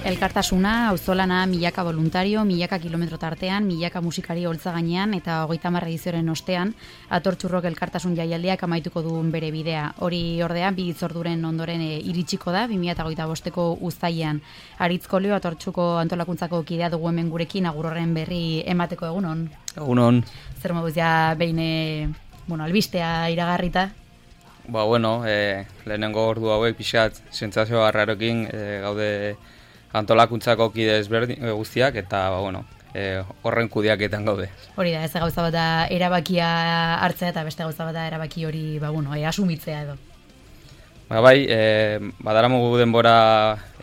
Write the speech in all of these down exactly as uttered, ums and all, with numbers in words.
Elkartasuna, auzolana, milaka voluntario, milaka kilometro tartean, milaka musikari holtza gainean eta hogeita hamar edizioren ostean, Atortxurrok elkartasun jaialdiak amaituko duen bere bidea. Hori ordea, bi hitzorduren ondoren e, iritsiko da, bi mila hogeita bosteko uztailean. Aritz Kolio, Atortxuko antolakuntzako kidea dugu hemen gurekin, agur horren berri emateko egunon. Egunon. Zer moduz ja behin, bueno, albistea iragarrita? Ba, bueno, e, lehenengo ordu hauek pixat sentsazio harrarekin e, gaude antolakuntzako kide ezberdin guztiak eta ba, bueno, e, horren kudeaketan gaude. Hori da, ez gauza bat da erabakia hartzea eta beste gauza bat da erabaki hori, ba, bueno, e, asumitzea edo. Ba, bai, e, badaramugu denbora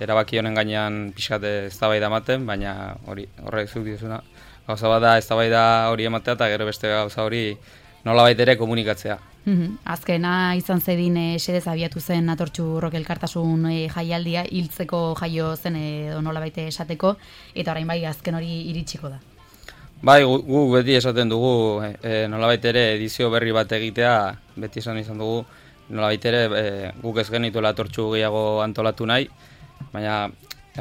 erabaki honen gainean pixat eztabaida ematen, baina hori horrek zuk dizuna. Gauza bat da eztabaida hori ematea eta gero beste gauza hori nolabait ere komunikatzea. Mm-hmm. Azkena izan zedin e, xedez abiatu zen Atortxurrok elkartasun e, jaialdia, hiltzeko jaio zen edo nolabait esateko, eta orain bai azken hori iritsiko da. Bai, gu, gu beti esaten dugu e, nolabait ere edizio berri bat egitea, beti esan izan dugu, nolabait ere e, guk ez genituela Atortxu gehiago antolatu nahi, baina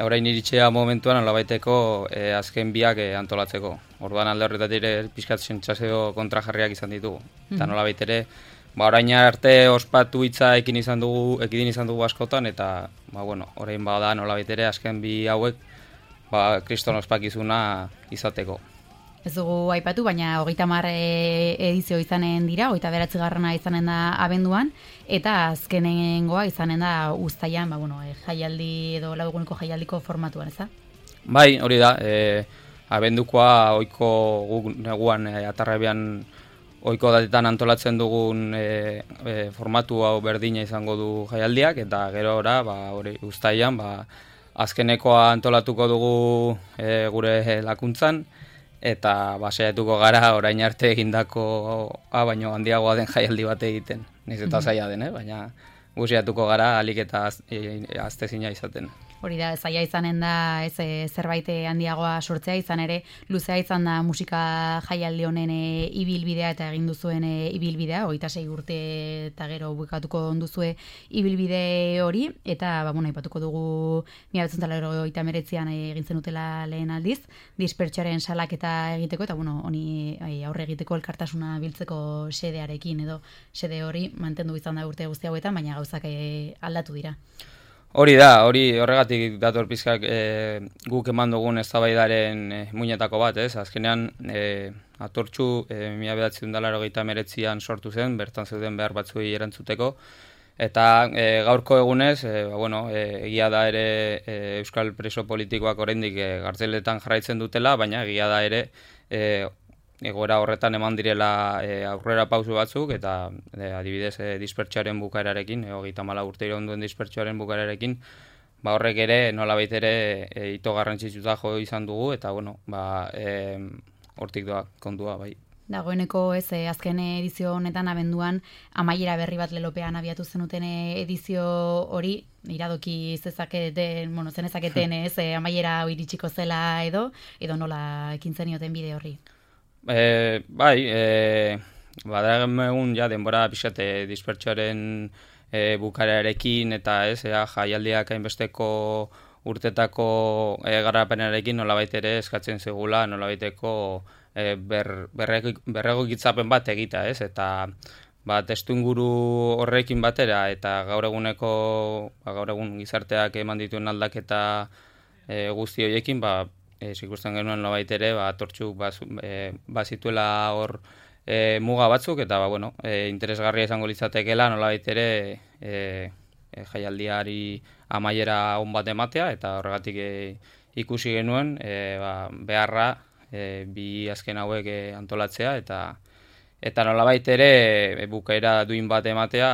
orain iritsea momentuan nolabaiteko e, azken biak e, antolatzeko. Orduan alde horretatik ere pixkat sentsazio kontrajarriak izan ditugu. Mm-hmm. Eta nolabait ere, ba, orain arte ospatu hitza ekin izan dugu, ekidin izan dugu askotan, eta ba, bueno, orain bada nolabait ere azken bi hauek ba, kriston ospakizuna izateko. Ez dugu aipatu, baina hogeita hamar edizio izanen dira, hogeita beratzi garrana izanen da abenduan, eta azkenengoa izanen da uztailan, ba, bueno, e, jaialdi edo lauguneko jaialdiko formatuan, ez da? Bai, hori da, e, abendukoa ohiko guk neguan e, atarrabian ohiko datetan antolatzen dugun e, e, formatu hau berdina izango du jaialdiak, eta gero ora, ba, hori uztailan, ba, azkenekoa antolatuko dugu e, gure lakuntzan, eta basaiatuko gara orain arte egindako ah, baino handiagoa den jaialdi bat egiten. Niz eta zaila den, eh? Baina guziatuko gara alik eta az, e, aztezina izaten. Hori da, zaila izanen da ez e, zerbait handiagoa sortzea, izan ere luzea izan da musika jaialdi honen e, ibilbidea eta egin duzuen e, ibilbidea, hogeita sei urte eta gero bukatuko onduzue ibilbide hori, eta ba, bueno, aipatuko dugu mila bederatziehun eta laurogeita hemeretzian egin zenutela lehen aldiz, dispertsioaren salaketa egiteko, eta bueno, honi aurre egiteko elkartasuna biltzeko xedearekin edo xede hori mantendu izan da urte guzti hauetan, baina gauzak e, aldatu dira. Hori da, hori horregatik dator pizkak e, guk eman dugun eztabaidaren e, muinetako bat, ez? Azkenean e, Atortxu e, mila bederatziehun eta laurogeita hemeretzian sortu zen, bertan zeuden behar batzuei erantzuteko, eta e, gaurko egunez, e, ba, bueno, e, egia da ere e, euskal preso politikoak oraindik e, gartzeletan jarraitzen dutela, baina egia da ere e, egoera horretan eman direla e, aurrera pausu batzuk, eta e, adibidez e, dispertsioaren bukaerarekin, e, hogeita hamalau urte iraun dispertsioaren bukaerarekin, ba horrek ere nolabait ere e, ito garrantzitsuta jo izan dugu, eta bueno, ba e, hortik doa kontua bai. Dagoeneko ez, azken edizio honetan abenduan amaiera berri bat lelopean abiatu zenuten edizio hori, iradoki zezaketen, bueno, zenezaketen ez, amaiera iritsiko zela edo, edo nola ekin zenioten bide horri? E, bai, e, badaren egun ja denbora pixate dispertsioaren e, bukarearekin eta ez, ea, jaialdiak hainbesteko urtetako e, garapenarekin nolabait ere eskatzen zegula, nolabaiteko e, ber, berregokitzapen bat egita, ez, eta ba, testuinguru horrekin batera eta gaur eguneko, ba, gaur egun gizarteak eman dituen aldaketa e, guzti horiekin, ba, Ez ikusten genuen nolabait ere, ba, Atortxuk e, bazituela hor e, muga batzuk, eta ba, bueno, e, interesgarria izango litzatekeela nolabait ere e, e, jaialdiari amaiera on bat ematea, eta horregatik e, ikusi genuen e, ba, beharra e, bi azken hauek e, antolatzea, eta eta nolabait ere e, bukaera duin bat ematea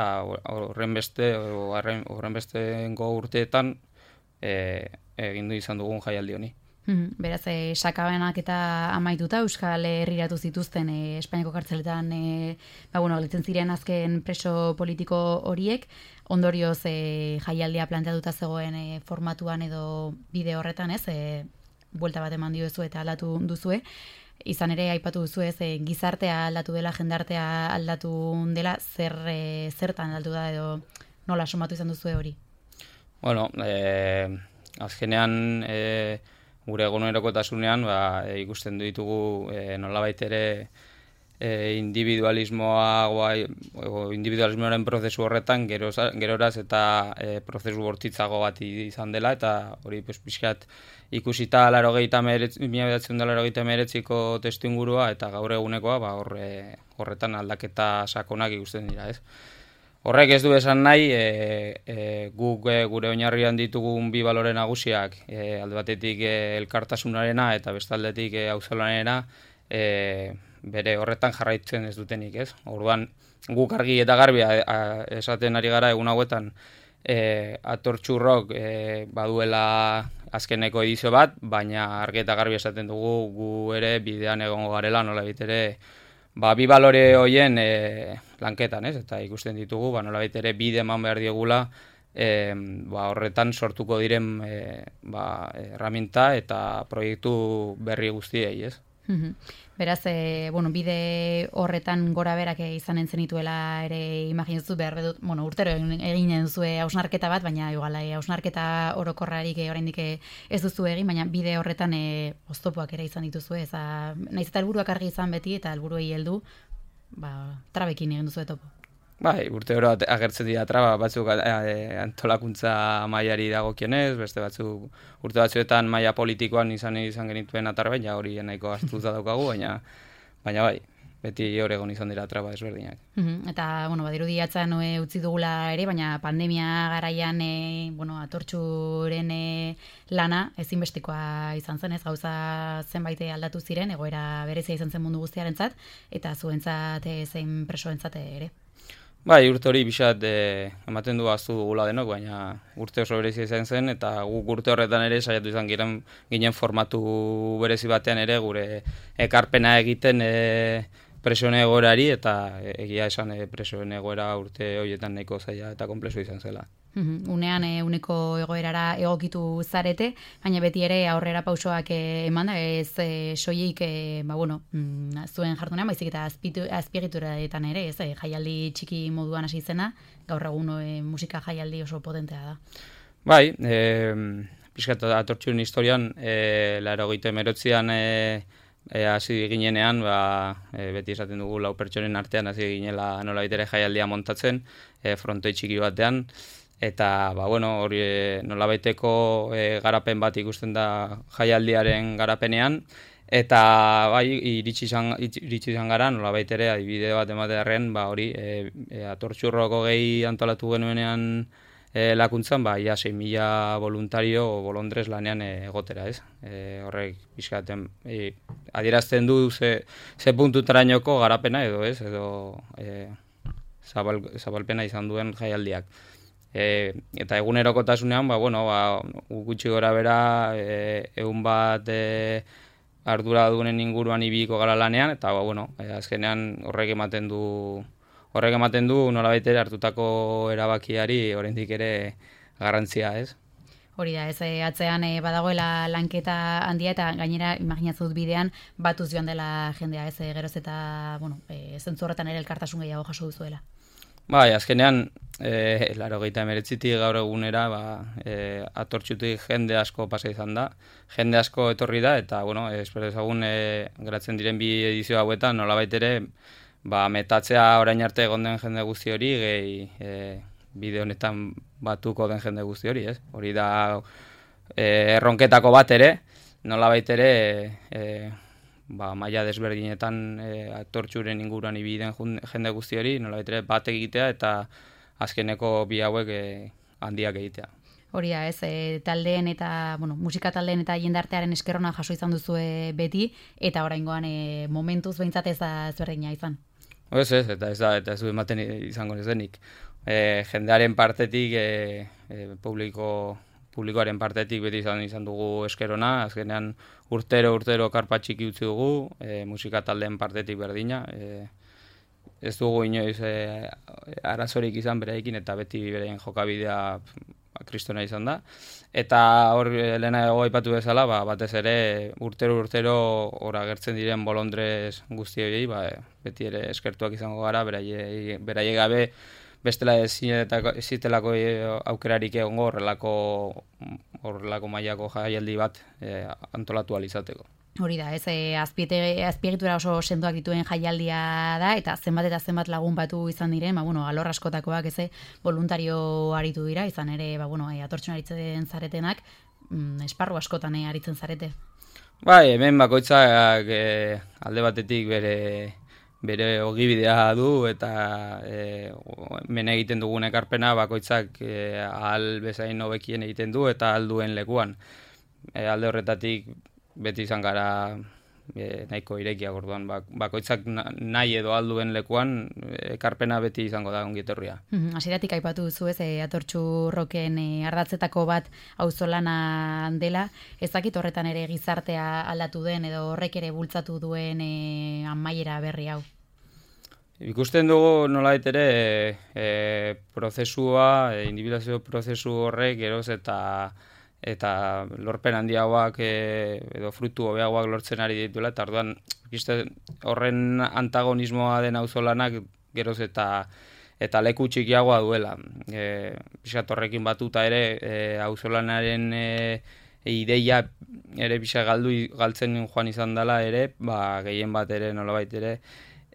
horren beste, horren, horren bestengo urteetan e, egindu izan dugun jaialdi honi. Beraz, e, sakabenak eta amaituta Euskal Herriratu zituzten e, Espainiako kartzeletan e, ba, bueno, gelitzen ziren azken preso politiko horiek, ondorioz e, jaialdia planteatuta zegoen e, formatuan edo bide horretan, ez, e, buelta bat eman diozu eta aldatu duzue. Izan ere aipatu duzu ez, e, gizartea aldatu dela, jendartea aldatu dela, zer e, zertan aldatu da edo nola somatu izan duzue hori? Bueno, eh azkenean e, gure egunerokotasunean ba, e, ikusten ditugu e, nolabait ere e, individualismoa o individualismoaren prozesu horretan geroz, geroraz eta e, prozesu bortitzago bat izan dela, eta hori pues, pixkat ikusita laurogeita hemeretziko testu ingurua eta gaur egunekoa ba, horre, horretan aldaketa sakonak ikusten dira, ez? Horrek ez du esan nahi, e, e, guk e, gure oinarrian ditugun bi balore nagusiak, e, alde batetik e, elkartasunarena eta bestaldetik e, auzolanarena, e, bere horretan jarraitzen ez dutenik, ez? Orduan, guk argi eta garbi a, a, esaten ari gara egun hauetan e, atortxurrok e, baduela azkeneko edizio bat, baina argi eta garbi esaten dugu gu ere bidean egongo garela, nolabait ere ba, bi balore hoien e, lanketan, ez? Eta ikusten ditugu, ba, nolabait ere bide eman behar diegula e, ba, horretan sortuko diren e, ba, erraminta eta proiektu berri guztiei, ez? Beraz, e, bueno, bide horretan gora berak izan zenituela ere imaginazu behar dut, bueno, urtero eginen duzue hausnarketa bat, baina igual hausnarketa orokorrarik oraindik ez duzu egin, baina bide horretan e, oztopoak ere izan dituzue, eza, naiz eta helburuak argi izan beti eta helburuei heldu, ba, trabekin egin duzu topo. Bai, urte oro agertzen dira traba, batzuk e, antolakuntza mailari dagokionez, beste batzuk urte batzuetan maila politikoan izan izan genituen atar baina hori nahiko hartuta daukagu, baina baina bai, beti hor egon izan dira traba ezberdinak. Uh-huh. Eta, bueno, badirudi atzan e, utzi dugula ere, baina pandemia garaian e, bueno, atortxuren e, lana ezinbestikoa izan zen, ez gauza zenbait aldatu ziren, egoera berezia izan zen mundu guztiarentzat, eta zuentzat e, zein presoentzat ere. Bai, urte hori bisat e, ematen du aztu dugula denok, baina urte oso berezi izan zen, eta guk urte horretan ere saiatu izan ginen, ginen formatu berezi batean ere gure ekarpena egiten e, presoen egoerari, eta egia esan e, presoen egoera urte horietan nahiko zaila eta konplexu izan zela. Uhum, unean e, uneko egoerara egokitu zarete, baina beti ere aurrera pausoak e, eman da, ez e, soilik e, ba, bueno, mm, zuen jardunean, baizik eta azpiegituraetan ere, ez, e, jaialdi txiki moduan hasi zena, gaur egun e, musika jaialdi oso potentea da. Bai, e, pixkat atortxuren historian, e, laurogeita hemeretzian e, e, hasi ginenean, ba, e, beti esaten dugu lau pertsonen artean hasi ginela nolabait ere jaialdia montatzen, e, frontoi txiki batean, eta ba, bueno, hori nolabaiteko e, garapen bat ikusten da jaialdiaren garapenean, eta bai, iritsi izan, iritsi izan gara, nolabait ere adibide bat ematearren, ba, hori e, e, atortxurroko gehi antolatu genuenean e, lakuntzan, ba, ia sei mila voluntario o bolondrez lanean e, egotera, ez? E, horrek pixkaten e, adierazten du ze, ze puntutarainoko garapena edo, ez? Edo e, zabal, zabalpena izan duen jaialdiak. E, eta egunerokotasunean, ba, bueno, ba, gutxi gora bera, e, egun bat e, ardura duenen inguruan ibiliko gara lanean, eta ba, bueno, e, azkenean horrek ematen du, horrek ematen du nolabait ere hartutako erabakiari oraindik ere garrantzia, ez? Hori da, ez atzean e, badagoela lanketa handia, eta gainera imaginatzut bidean batuz joan dela jendea, ez geroz eta, bueno, e, zentzu horretan ere elkartasun gehiago jaso duzuela. Bai, azkenean, e, laurogeita hemeretzitik gaur egunera, ba, e, atortxutik jende asko pasa izan da, jende asko etorri da, eta, bueno, espero ezagun e, geratzen diren bi edizio hauetan, nolabait ere, ba, metatzea orain arte egon den jende guzti hori, gehi e, bide honetan batuko den jende guzti hori, ez? Hori da e, erronketako bat ere, nolabait ere, e, ba, maila desberdinetan e, atortxuren inguruan ibiden jende guzti hori, nolabait ere bat egitea eta azkeneko bi hauek e, handiak egitea. Hori da, ez, e, taldeen eta, bueno, musika taldeen eta jendartearen eskerrona jaso izan duzue beti, eta oraingoan e, momentuz behintzat ez da ezberdina izan. Ez ez, eta ez da, eta ez du ematen izango ez denik. E, jendearen partetik, e, e, publiko... publikoaren partetik beti izan izan dugu eskerona, azkenean urtero urtero karpa txiki utzi dugu, e, musika taldeen partetik berdina, e, ez dugu inoiz e, arazorik izan bereekin eta beti beraien jokabidea kristona izan da. Eta hor lehena ego aipatu bezala, ba, batez ere urtero urtero hor agertzen diren bolondrez guzti horiei, ba, beti ere eskertuak izango gara, beraie, beraie gabe bestela ezitelako aukerarik egongo horrelako horrelako mailako jaialdi bat e, antolatu alizateko. Hori da, ez, e, azpiegitura oso sendoak dituen jaialdia da, eta zenbat eta zenbat lagun batu izan diren, ba, bueno, alor askotakoak, ez, voluntario aritu dira, izan ere, ba, bueno, e, atortxun aritzen zaretenak, mm, esparru askotan e, aritzen zarete. Bai, hemen bakoitzak e, alde batetik bere bere ogibidea du, eta e, hemen egiten dugun ekarpena bakoitzak e, ahal bezain hobekien egiten du, eta ahal duen lekuan. E, alde horretatik beti izan gara e, nahiko irekiak, orduan bakoitzak nahi edo alduen lekuan ekarpena beti izango da ongietorria. Hasieratik aipatu duzu ez, e, Atortxu Rocken e, ardatzetako bat auzolana dela, ez dakit horretan ere gizartea aldatu den edo horrek ere bultzatu duen e, amaiera berri hau. Ikusten dugu nolait ere e, prozesua, e, individuazio prozesu horrek geroz eta eta lorpen handiagoak e, edo frutu hobeagoak lortzen ari dituela, eta orduan horren antagonismoa den auzolanak geroz eta eta leku txikiagoa duela. E, Pixat horrekin batuta ere e, auzolanaren e, ideia ere pixat galdu galtzen joan izan dela ere, ba, gehien bat ere nolabait ere,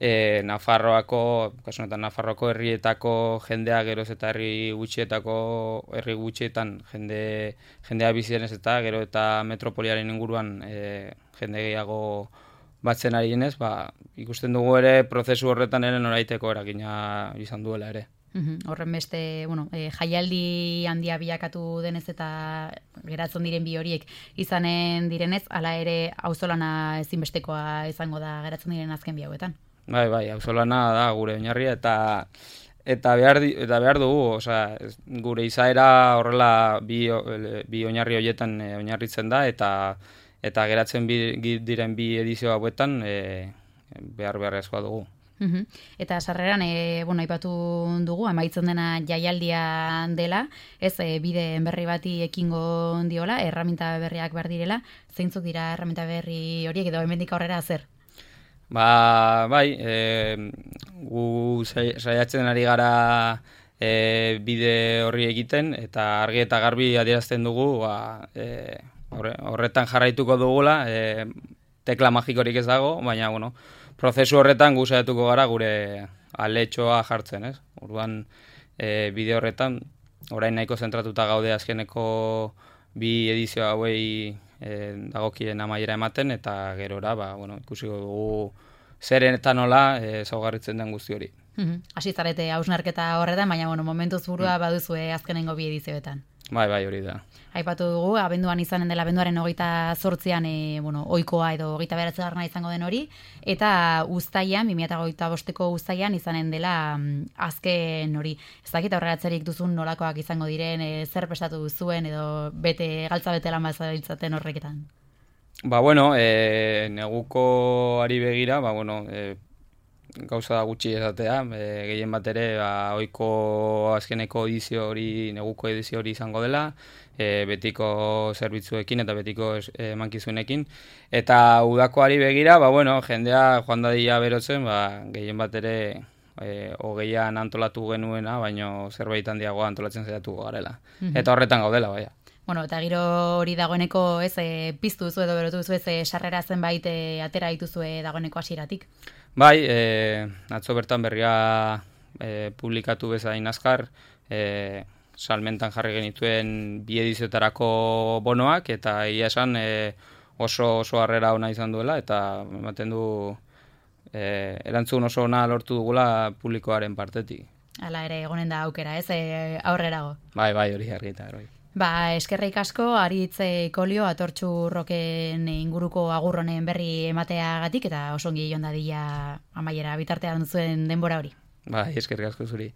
E, Nafarroako, kasunetan Nafarroako herrietako jendea geroz eta herri gutxietako herri gutxietan jende jendea bizienez eta gero eta metropoliaren inguruan e, jende gehiago batzen ari denez, ba, ikusten dugu ere prozesu horretan ere noraiteko eragina izan duela ere. Horren beste, bueno, e, jaialdi handia bilakatu denez eta geratzen diren bi horiek izanen direnez, hala ere auzolana ezinbestekoa izango da geratzen diren azken bi hauetan. Bai, bai, auzolana da gure oinarria, eta eta behar, eta behar dugu, osea, gure izaera horrela bi, bi oinarri horietan e, oinarritzen da, eta eta geratzen bi, diren bi edizio hauetan e, behar beharrezkoa dugu. Uhum. Eta sarreran, e, bueno, aipatu dugu, amaitzen dena jaialdia dela, ez e, bide berri bati ekingo diola, erraminta berriak behar direla, zeintzuk dira erraminta berri horiek edo hemendik aurrera zer? Ba, bai, e, gu saiatzen ari gara e, bide horri egiten, eta argi eta garbi adierazten dugu, ba, e, horretan jarraituko dugula, e, tekla magikorik ez dago, baina, bueno, prozesu horretan gu saiatuko gara gure aletxoa jartzen, ez? Orduan, e, bide horretan, orain nahiko zentratuta gaude azkeneko bi edizio hauei e, dagokien amaiera ematen, eta gerora, ba, bueno, ikusiko dugu zeren eta nola e, zaugarritzen den guzti hori. Hasi zarete hausnarketa horretan, baina bueno, momentuz burua mm. baduzue azkenengo bi edizioetan. Bai, bai, hori da. Aipatu dugu, abenduan izanen dela, abenduaren hogeita zortzian, e, bueno, oikoa edo hogeita beratzegarna izango den hori, eta uztaian, bi mila hogeita bosteko uztaian izanen dela um, azken hori. Ez dakit aurreratzerik duzun nolakoak izango diren, e, zer prestatu duzuen, edo bete, galtza bete lan bazabiltzaten horreketan? Ba, bueno, e, neguko ari begira, ba, bueno, e, gauza da gutxi esatea, e, gehien bat ere, ba, oiko azkeneko edizio hori, neguko edizio hori izango dela, e, betiko zerbitzuekin eta betiko emankizunekin. Eta udako ari begira, ba, bueno, jendea joan dadila berotzen, ba, gehien bat ere, e, hogeian antolatu genuena, baino zerbait handiagoa antolatzen zaiatuko garela. Mm-hmm. Eta horretan gaudela, baina. Bueno, eta giro hori dagoeneko, ez, e, piztu duzu edo berotu duzu, ez, e, sarrera zenbait e, atera dituzue dagoeneko hasieratik. Bai, e, atzo bertan berria e, publikatu bezain azkar, e, salmentan jarri genituen bi ediziotarako bonoak, eta ia esan e, oso oso harrera ona izan duela, eta ematen du e, erantzun oso ona lortu dugula publikoaren partetik. Hala ere, egonen da aukera, ez, e, aurrerago. Bai, bai, hori argita, hori. Ba, eskerrik asko, Aritz Kolio, Atortxu Rocken inguruko agurronen berri emateagatik, eta oso ongi joan dadila amaiera bitartean duzuen denbora hori. Ba, eskerrik asko zuri.